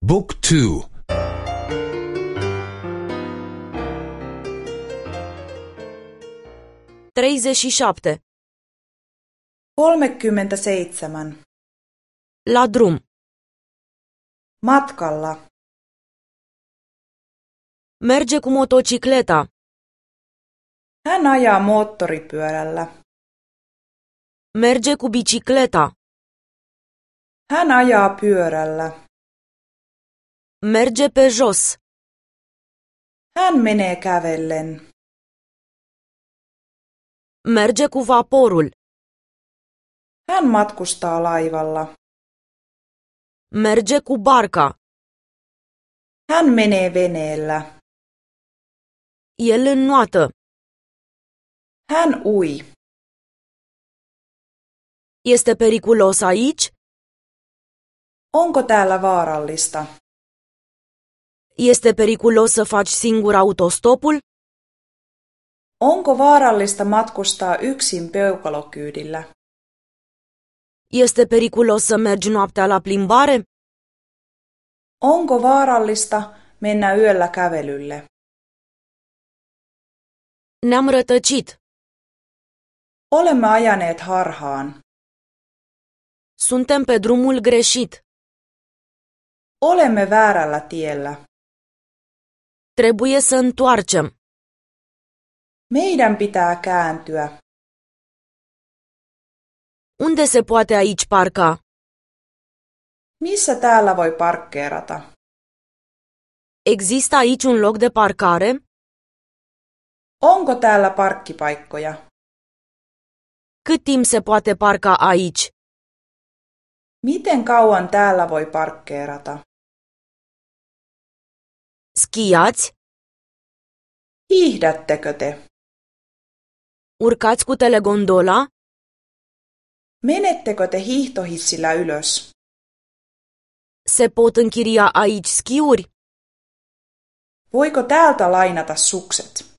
Book 2. 37. 37. La drum. Matkalla. Merge cu motocicleta. Hän ajaa moottoripyörällä. Merge cu bicicleta. Hän ajaa pyörällä. Merge pe jos. Hän menee kävellen. Merge cu vaporul. Hän matkustaa laivalla. Merge cu barca. Hän menee veneellä. El înnoată. Hän ui. Este periculos aici? Onko täällä vaarallista? Este periculos să faci singur autostopul? Onko vaarallista matkustaa yksin peukalokyydillä? Este periculos să mergi noaptea la plimbare? Onko vaarallista mennä yöllä kävelylle? Ne-am rătăcit. Olemme ajaneet harhaan. Suntem pe drumul greșit. Olemme väärällä tiellä. Trebuie să întoarcem. Meidän pitää kääntyä. Unde se poate aici parca? Missä täällä voi parkkeerata? Există aici un loc de parcare? Onko täällä parkkipaikkoja? Cât timp se poate parca aici? Miten kauan täällä voi parkkeerata? Schiați? Hiihdättekö te? Urcați cu telegondola? Menettekö te hiihtohissillä ylös? Se pot închiria aici schiuri? Voiko täältä lainata sukset?